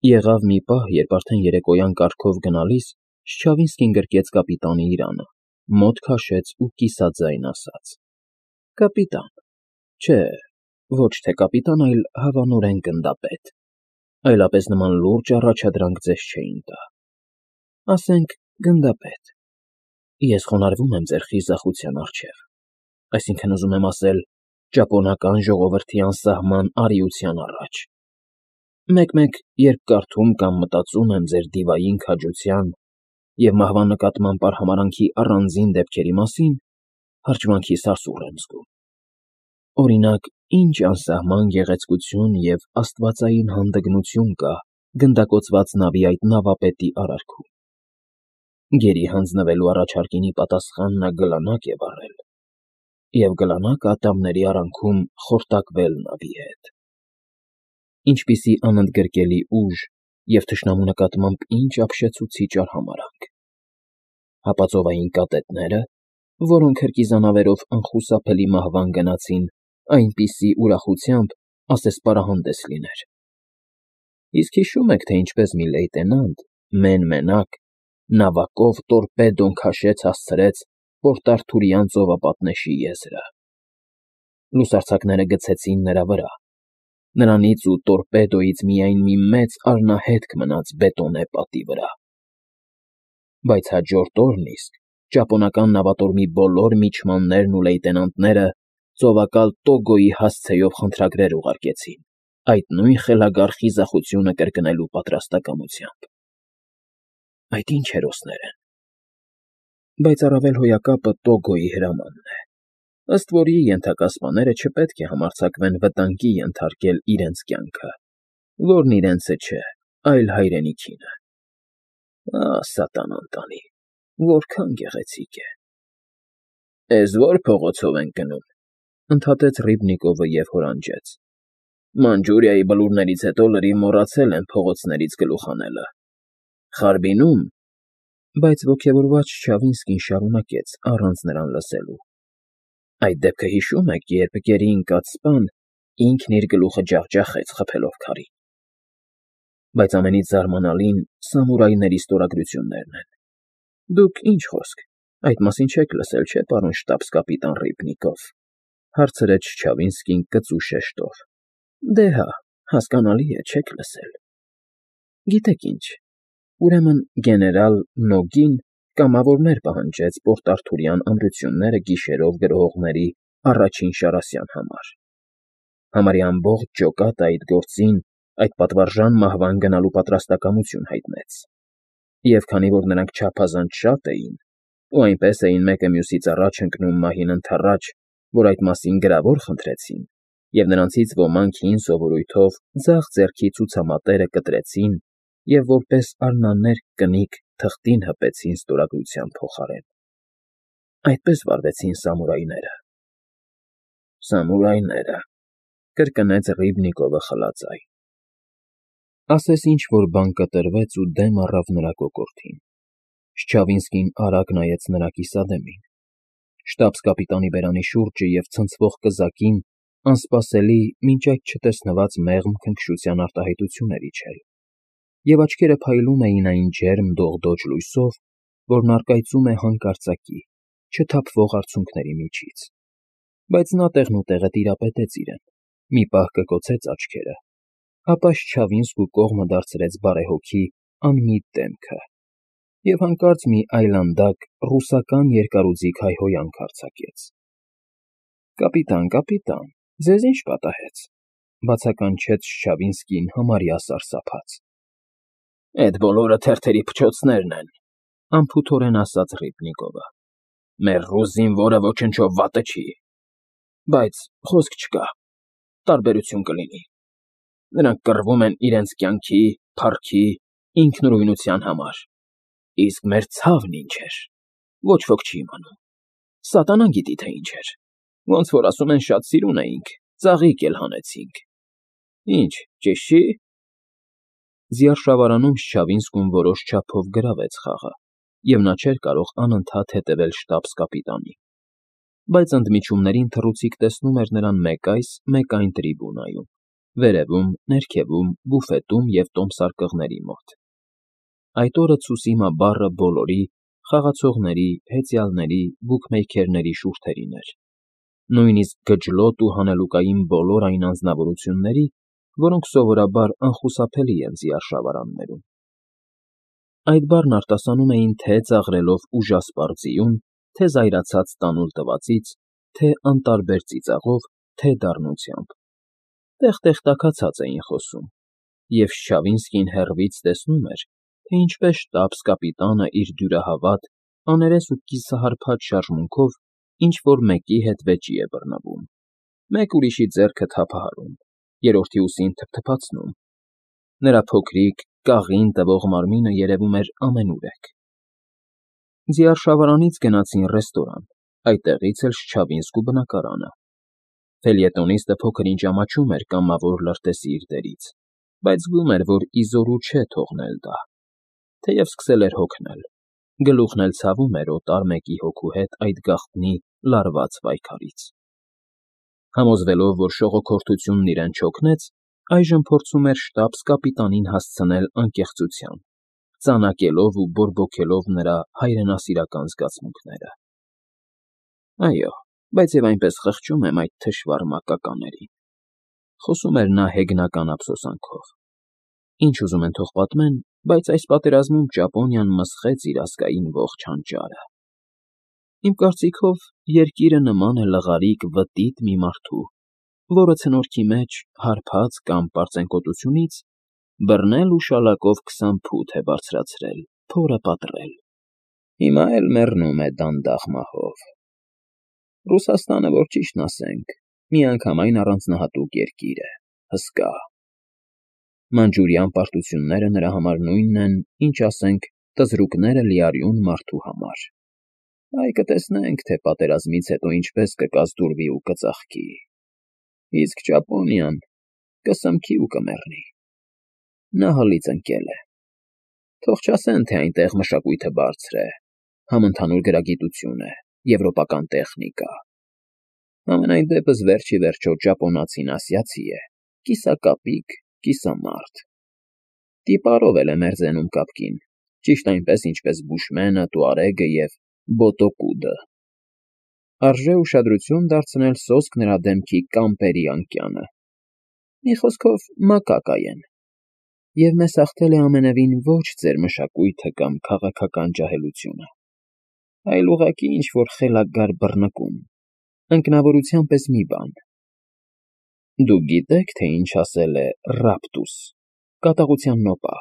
Եղավ մի պահ, երբ արդեն երեկոյան կարգով գնալիս Շչավինսկին գրկեց կապիտանի իրանը, մոտ քաշեց ու կիսաձայն ասաց. «Կապիտան, չէ, ոչ թե կապիտան, այլ հավանորեն գնդապետ, այլապես նման լուրջ առաջադրանք ձեզ չէին տա, ասենք գնդապետ, ես խոնարհվում եմ ձեր խիզախության առջև, այսինքն ուզում եմ ասել ճապոնական ժողովրդի անսահման արիության առաջ, մեկ-մեկ երբ կարդում կամ մտածում եմ ձեր դիվային քաջության և մահվան նկատմամբ արհամարհանքի առանձին դեպքերի մասին, հրճվանքիս ասուռ եմ զգում, օրինակ, ինչ անսահման գեղեցկություն և աստվածային հանդգնություն կա գնդակոծված նավի այդ նավապետի արարքում, գերի հանձնվելու առաջարկինի պատասխան նա գլանակ է վառել և գլանակը ատամների արանքում խորտակվել նավի հետ, ինչպիսի անընդգրկելի ուժ և թշնամու նկատմամբ ինչ ապշեցուցիչ արհամարհանք, հապա ծովային կատետները, որոնք հրկիզանավերով անխուսափելի մահվան գնացին, այնպիսի ուրախությամբ, ասես պարահանդես լիներ, իսկ հիշո՞ւմ եք, թե ինչպես մի լեյտենանտ մեն֊մենակ նավակով տորպեդոն քաշեց հասցրեց Պորտ Արթուրյան ծովապատնեշի եզրը, լուսարձակները գցեցին նրա վրա, նրանից ու տորպեդոյից միայն մի մեծ արնահետք մնաց բետոնե պատի վրա, բայց հաջորդ օրն իսկ ճապոնական նավատորմի բոլոր միջմաններն ու լեյտենանտները ծովակալ Տոգոյի հասցեով խնդրագրեր ուղարկեցին այդ նույն խելագար խիզախությունը կրկնելու պատրաստակամությամբ, այդ ինչ հերոսներ են, բայց առավել հոյակապը Տոգոյի հրամանն է, ըստ որի ենթակա սպաները չպետք է համարձակվեն վտանգի ենթարկել իրենց կյանքը, որն իրենցը չէ, այլ հայրենիքինը, սատանան տանի, որքան գեղեցիկ է, «Էս ո՞ր փողոցով ենք գնում», ընդհատեց Ռիբնիկովը և հորանջեց, «Մանջուրիայի բլուրներից հետո լրիվ մոռացել եմ փողոցներից գլուխ հանելը, Խարբինում», բայց ոգևորված Չչավինսկին շարունակեց առանց նրան լսելու, «Այդ դեպքը հիշո՞ւմ եք, երբ գերի ընկած սպան ինքն իր գլուխը ջախջախեց խփելով քարին, բայց ամենից զարմանալին սամուրայների ստորագրություններն են, դուք ինչ խոսք, այդ մասին չեք լսել, չէ՞, պարոն շտաբս֊կապիտան Ռիբնիկով», հարցրեց Չչավինսկին կծու շեշտով, «Դե հա, հասկանալի է, չեք լսել, գիտեք ինչ, ուրեմն գեներալ Նոգին կամավորներ պահանջեց Պորտ Արթուրյան ամրությունները գիշերով գրոհողների առաջին շարասյան համար, համարյա ամբողջ ջոկատը այդ գործին, այդ պատվարժան մահվան գնալու պատրաստակամություն հայտնեց, և քանի որ նրանք չափազանց շատ էին, ու այնպես էին մեկը մյուսից առաջ ընկնում մահին ընդառաջ, որ այդ մասին գրավոր խնդրեցին, և նրանցից ոմանք հին սովորույթով ձախ ձեռքի ցուցամատերը կտրեցին և որպես արնաներկ կնիկ թղթին հպեցին ստորագրության փոխարեն, այդպես վարվեցին սամուրայները, «Սամուրայները», կրկնեց Ռիբնիկովը խլածայ, ասես ինչ-որ բան կտրվեց ու դեմ առավ նրա կոկորդին, Շչավինսկին արագ նայեց նրա կիսադեմին, շտաբս֊կապիտանի բերանի շուրջը և ցնցվող կզակին անսպասելի, մինչ այդ չտեսնված մեղմ քնքշության արտահայտություն էր իջել, և աչքերը փայլում էին այն ջերմ դողդոջ լույսով, որն առկայծում է հանկարծակի, չթափվող արցունքների միջից, բայց նա տեղնուտեղը տիրապետեց իրեն, մի պահ կկոցեց աչքերը, ապա Շչավինսկու կողմը դարձրեց բարեհոգի, անմիտ դեմքը և հանկարծ մի այլանդակ ռուսական երկարուձիգ հայհոյանք արձակեց. «Կապիտան, ձեզ ի՞նչ պատահեց», բացականչեց Շչավինսկին համարյա սարսափած, «Էդ բոլորը թերթերի փչոցներն են», անփութորեն ասաց Ռիբնիկովը, «մեր ռուս զինվորը ոչնչով վատը չի, բայց խոսք չկա, տարբերություն կլինի, նրանք կռվում են իրենց կյանքի, փառքի, ինքնուրույնության համար, իսկ մեր ցավն ինչ էր, ոչ ոք չի իմանում, սատանան գիտի, թե ինչ էր, ոնց որ ասում են շատ սիրուն էինք, ծաղիկ էլ հանեցինք, ինչ, ճիշտ չի՞»։ Զիարշավարանում Շչավինսկուն որոշ չափով գրավեց խաղը, և նա չէր կարող անընդհատ հետևել շտաբս֊կապիտանին, բայց ընդմիջումներին թռուցիկ տեսնում էր նրան մեկ այս, մեկ այն տրիբունայում, վերևում, ներքևում, բուֆետում և տոմսարկղների մոտ։ Այդ օրը Ցուսիմա բառը բոլորի, խաղացողների, հեծյալների, բուքմեյքերների շուրթերին էր, նույնիսկ գջլոտ ու հանելուկային բոլոր այն անձնավորությունների, որոնք սովորաբար անխուսափելի են զիարշավարաններում։ Այդ բառն արտասանում էին թե ծաղրելով ուժասպառ ձիուն, թե զայրացած տանուլ տվածից, թե անտարբեր ծիծաղով, թե դառնությամբ։ Տեղ-տեղ տաքացած էին խոսում, և Շչավինսկին հեռվից տեսնում էր, թե ինչպես շտաբս֊կապիտանը իր դյուրահավատ, աներես ու կիսահարբած շարժմունքով ինչ-որ մեկի հետ վեճի է բռնվում, մեկ ուրիշի ձեռքը թափահարում, երրորդի ուսին թփթփացնում։ Նրա փոքրիկ, կաղին տվող մարմինը երևում էր ամենուրեք։ Ձիարշավարանից գնացին ռեստորան, այդտեղից էլ Շչավինսկու բնակարանը։ Ֆելյետոնիստը փոքր-ինչ ամաչում էր կամավոր լրտեսի իր դերից, բայց զգում էր, որ իզորու չէ թողնել դա, թեև սկսել էր հոգնել, գլուխն էլ ցավում էր օտար մեկի հոգու հետ այդ գաղտնի լարված պայքարից։ Համոզվելով, որ շողոքորթությունն իրեն չօգնեց, այժմ փորձում էր շտաբս֊կապիտանին հասցնել անկեղծության, ծանակելով ու բորբոքելով նրա հայրենասիրական զգացմունքները։ Այո, բայց և այնպես խղճում եմ այդ թշվառ մակականերին, խոսում էր նա հեգնական ափսոսանքով։ Ինչ ուզում են թող պատմեն, բայց այս պատերազմում Ճապոնիան մսխեց իր ազգային ողջ հանճարը։ Իմ կարծիքով, երկիրը նման է լղարիկ վտիտ մի մարդու, որը ցնորքի մեջ, հարբած կամ պարծենկոտությունից, բռնել ու շալակով 20 ֆուտ է բարձրացրել, փորը պատռել։ Հիմա էլ մեռնում է դանդաղ մահով։ Ռուսաստանը, որ ճիշտն ասենք, միանգամայն առանձնահատուկ երկիր է, հսկա։ Մանջուրյան պարտությունները նրա համար նույնն են, ինչ ասենք, տզրուկները լիարյուն մարդու համար։ Այ կտեսնենք, թե պատերազմից հետո ինչպես կկազդուրվի ու կծաղկի։ Իսկ Ճապոնիան կսմքի ու կմեռնի։ Նա հլից ընկել է։ Թող չասեն, թե այնտեղ մշակույթը բարձր է, համընդհանուր գրագիտություն է, եվրոպական տեխնիկա։ Համենայն դեպս վերջ ի վերջո ճապոնացին ասիացի է, կիսակապիկ, կիսամարդ։ Տիպարով էլ է մերձենում կապկին, ճիշտ այնպես, ինչպես Բուշմենը, Տուարեգը և Բոտոկուդը։ Արժե ուշադրություն դարձնել սոսկ նրա դեմքի կամպերի անկյանը։ Մի խոսքով, մակակա են։ Եվ մեզ հաղթել է ամենևին ոչ ձեր մշակույթը կամ քաղաքական ջահելությունը, այլ ուղղակի ինչ֊որ խելագար բռնկում, ընկնավորության պես մի բան։ Դուք գիտե՞ք, թե ինչ ասել է Ռապտուս, կատաղության նոպա։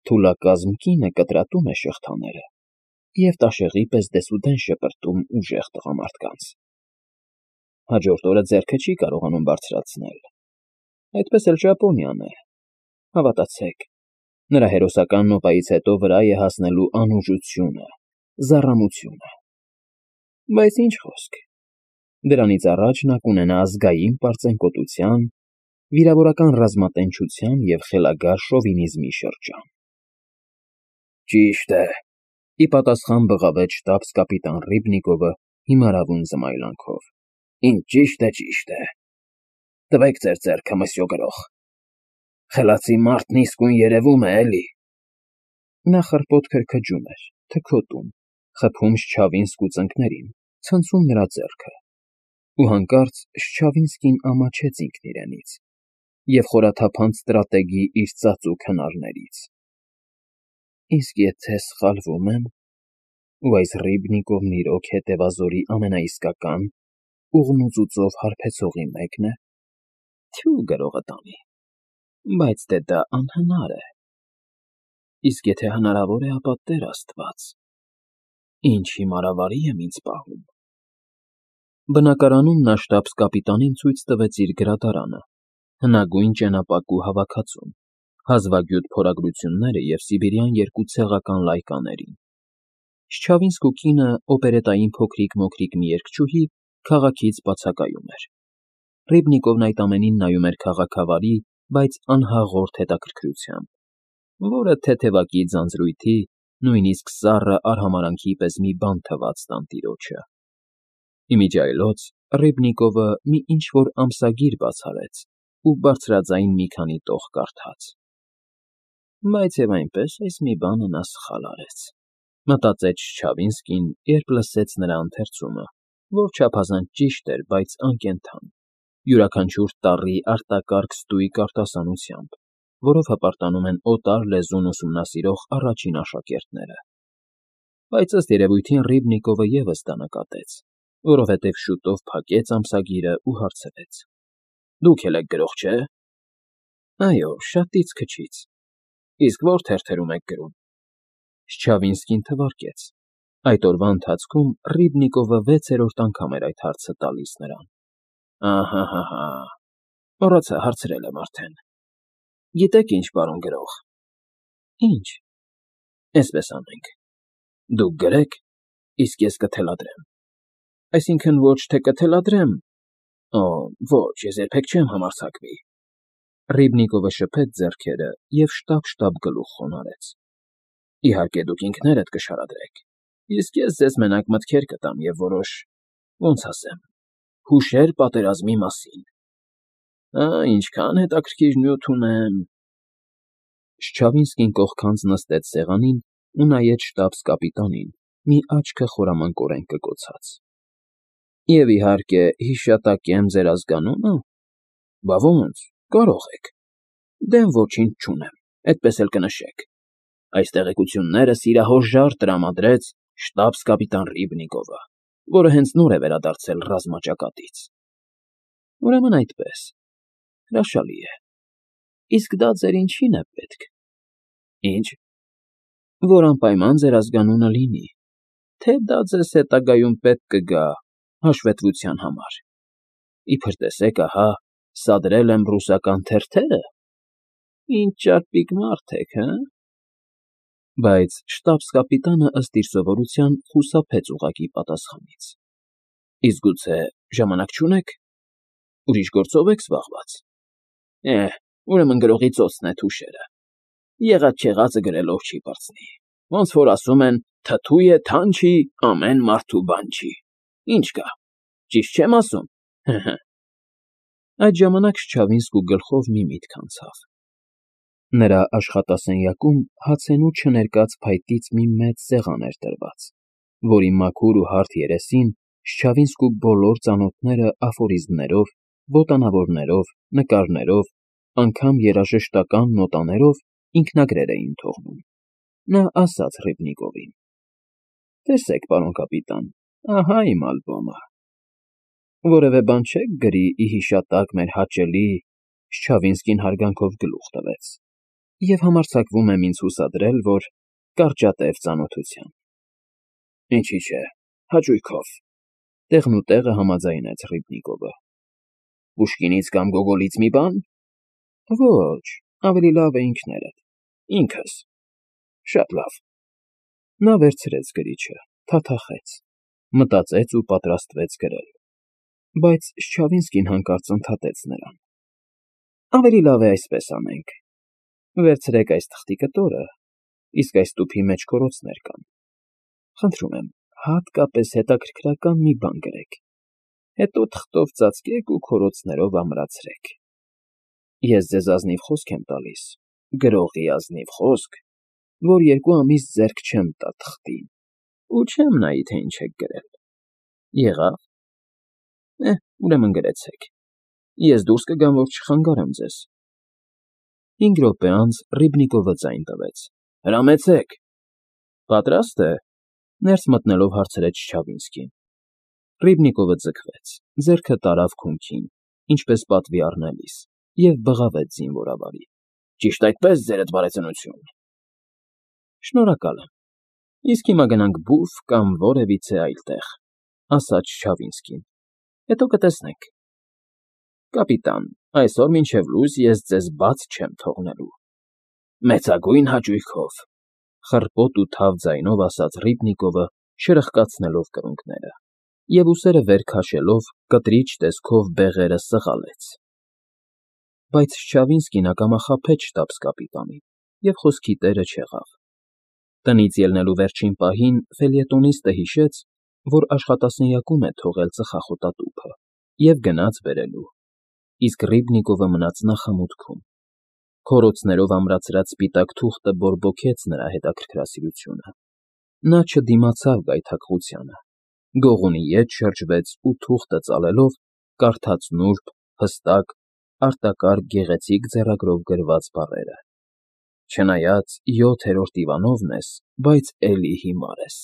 Թուլակազմ կինը կտրատում է շղթաները և տաշեղի պես դեսուդեն շպրտում ուժեղ տղամարդկանց։ Հաջորդ օրը ձեռքը չի կարողանում բարձրացնել։ Այդպես էլ Ճապոնիան է, հավատացեք, նրա հերոսական նոպայից հետո վրա է հասնելու անուժությունը, զառամությունը։ Բայց ինչ խոսք, դրանից առաջ նա կունենա ազգային պարծենկոտության, վիրավորական ռազմատենչության և խելագար շովինիզմի շրջան։ Ճիշտ է, ի պատասխան բղավեց շտաբս֊կապիտան Ռիբնիկովը հիմարավուն զմայլանքով։ Ինչ ճիշտ է։ Տվեք ձեր ձեռքը, մսյո գրող։ Խելացի մարդն իսկույն երևում է, էլի։ Նա խռպոտ քրքջում էր, թքոտում, խփում Շչավինսկու ծնկներին, ցնցում նրա ձեռքը, ու հանկարծ Շչավինսկին ամաչեց ինքն իրենից և խորաթափանց ստրատեգի իր ծածուկ հնարներից։ Իսկ եթե սխալվում եմ, ու այս Ռիբնիկովն իրոք հետևազորի ամենաիսկական, ուղնուծուծով հարբեցողի մեկն է, թյու գրողը տանի, բայց դե դա անհնար է։ Իսկ եթե հնարավոր է, ապա Տեր Աստված, ինչ հիմարավարի եմ ինձ պահում։ Բնակարանում նա շտաբս֊կապիտանին ցույց տվեց իր գրադարանը, հնագույն ճենապակու հավաքածուն, հազվագյուտ փորագրությունները և սիբիրյան 2 ցեղական լայկաներին։ Շչավինսկու կինը, օպերետային փոքրիկ-մոքրիկ մի երգչուհի, քաղաքից բացակայում էր։ Ռիբնիկովն այդ ամենին նայում էր քաղաքավարի, բայց անհաղորդ հետաքրքրությամբ, որը թեթևակի ձանձրույթի, նույնիսկ սառը արհամարհանքի պես մի բան թվաց տանտիրոջը։ Ի միջի այլոց Ռիբնիկովը մի ինչ֊որ ամսագիր բաց արեց ու բարձրաձայն մի քանի տող կարդաց։ Բայց եւ այնպես այս մի բանը նա սխալ արեց, մտածեց Չչավինսկին, երբ լսեց նրա ընթերցումը, որ չափազանց ճիշտ էր, բայց անկենդան, յուրաքանչյուր տառի արտակարգ ստույգ արտասանությամբ, որով հպարտանում են օտար լեզուն ուսումնասիրող առաջին աշակերտները։ Բայց ըստ երևույթին Ռիբնիկովը ևս դա նկատեց, որովհետև շուտով փակեց ամսագիրը ու հարցրեց. Դուք էլ եք գրող, չէ՞։ Այո, շատից քչից։ Իսկ որ թերթերում եք գրում։ Շչավինսկին թվարկեց։ Այդ օրվա ընթացքում Ռիբնիկովը 6-րդ անգամ էր այդ հարցը տալիս նրան։ Ահա, մոռացա, հարցրել եմ արդեն։ Գիտեք ինչ, պարոն գրող։ Ինչ։ Էսպես անենք։ Դուք գրեք, իսկ ես կթելադրեմ։ Այսինքն ոչ թե կթելադրեմ, ոչ, ես երբեք չեմ համարձակվի։ Ռիբնիկովը շփեց ձեռքերը և շտապ գլուխ խոնարհեց։ Իհարկե դուք ինքներդ կշարադրեք, իսկ ես ձեզ մենակ մտքեր կտամ և որոշ, ոնց ասեմ, հուշեր պատերազմի մասին։ Ինչքան հետաքրքիր նյութ ունեմ։ Շչավինսկին կողքանց նստեց սեղանին ու նայեց շտաբս կապիտանին, մի աչքը խորամանկորեն կկոցած։ Եվ իհարկե հիշատակեմ ձեր ազգանո՞ւնը։ Բա ոնց, կարող եք։ Դեմ ոչինչ չունեմ, այդպես էլ կնշեք։ Այս տեղեկությունները սիրահորժար տրամադրեց շտաբս կապիտան Ռիբնիկովը, որը հենց նոր է վերադարձել ռազմաճակատից։ Ուրեմն այդպես։ Հրաշալի է։ Իսկ դա ձեր ինչին է պետք։ Ինչ։ Որ անպայման ձեր ազգանունը լինի, թե դա ձեզ հետագայում պետք կգա հաշվետվության համար։ Իբր տեսեք, ահա, սադրել եմ ռուսական թերթերը։ Ինչ ճարպիկ մարդ եք, հը։ Բայց շտաբս կապիտանը ըստ իր սովորության խուսափեց ուղղակի պատասխանից։ Իսկ գուցե ժամանակ չունեք։ Ուրիշ գործով եք զբաղված։ Ուրեմն գրողի ծոցն է թուշերը։ Եղած-չեղածը գրելով չի պարծնի։ Ոնց որ ասում են, թթու է թանչի, ամեն մարդու բան չի։ Ինչ կա։ Ճիշտ չեմ ասում։ Այդ ժամանակ Շչավինսկու գլխով մի միտք անցավ։ Նրա աշխատասենյակում հացենու չներկած փայտից մի մեծ սեղան էր տրված, որի մաքուր ու հարթ երեսին Շչավինսկու բոլոր ծանոթները աֆորիզմներով, ոտանավորներով, նկարներով, անգամ երաժշտական նոտաներով ինքնագրեր էին թողնում։ Նա ասաց Ռիբնիկովին. Տեսեք, պարոն կապիտան, ահա իմ ալբոմը։ Որևէ բան չեք գրի ի հիշատակ մեր հաճելի։ Շչավինսկին հարգանքով գլուխ տվեց և համարձակվում եմ ինձ հուսադրել, որ կարճատև ծանոթության։ Ինչի՞ չէ, հաճույքով, տեղնուտեղը համաձայնեց Ռիբնիկովը։ Պուշկինից կամ Գոգոլից մի բան։ Ոչ, ավելի լավ է ինքներդ, ինքս։ Շատ լավ։ Նա վերցրեց գրիչը, թաթախեց, մտածեց ու պատրաստվեց գրել։ Բայց Շչավինսկին հանկարծ ընդհատեց նրան։ Ավելի լավ է այսպես անենք։ Վերցրեք այս թղթի կտորը, իսկ այս տուփի մեջ քորոցներ կան։ Խնդրում եմ, հատկապես հետաքրքրական մի բան գրեք։ Հետո թղթով ծածկեք ու քորոցներով ամրացրեք։ Ես ձեզ ազնիվ խոսք եմ տալիս, գրողի ազնիվ խոսք, որ 2 ամիս ձեռք չեմ տա թղթին, ու չեմ նայի, թե ինչ եք գրել։ Եղա՞վ։ Ուրեմն գրեցեք։ Ես դուրս կգամ, որ չխանգարեմ ձեզ։ 5 րոպե անց Ռիբնիկովը ձայն տվեց։ Հրամեցեք։ Պատրաստ է։ Ներս մտնելով հարցրեց Չչավինսկին։ Ռիբնիկովը ձգվեց, ձեռքը տարավ քունքին, ինչպես պատվի առնելիս, և բղավեց զինվորավարի։ Ճիշտ այդպես, ձերդ բարեծնություն։ Շնորհակալ եմ։ Իսկ հիմա գնանք բուֆ կամ որևիցե այլ տեղ, ասաց Չչավինսկին։ Հետո կտեսնենք։ Կապիտան, այսօր մինչև լույս ես ձեզ բաց չեմ թողնելու։ Մեծագույն հաճույքով, խռպոտ ու թավ ձայնով ասաց Ռիբնիկովը, շրխկացնելով կրունկները, և ուսերը վեր քաշելով կտրիչ տեսքով բեղերը սղալեց։ Բայց Չչավինսկին ակամա խաբեց շտաբս կապիտանին և խոսքի տերը չեղավ։ Տնից ելնելու վերջին պահին ֆելյետոնիստը հիշեց, որ աշխատասենյակում է թողել ծխախոտատուփը և գնաց բերելու։ իսկ Ռիբնիկովը մնաց նախամուտքում։ Քորոցներով ամրացրած սպիտակ թուղթը բորբոքեց նրա հետաքրքրասիրությունը։ Նա չդիմացավ գայթակղությանը, գողունի ետ շրջվեց ու թուղթը ծալելով կարդաց նուրբ, հստակ, արտակարգ գեղեցիկ ձեռագրով գրված բառերը. «Չնայած 7-րդ Իվանովն ես, բայց էլի հիմար ես»։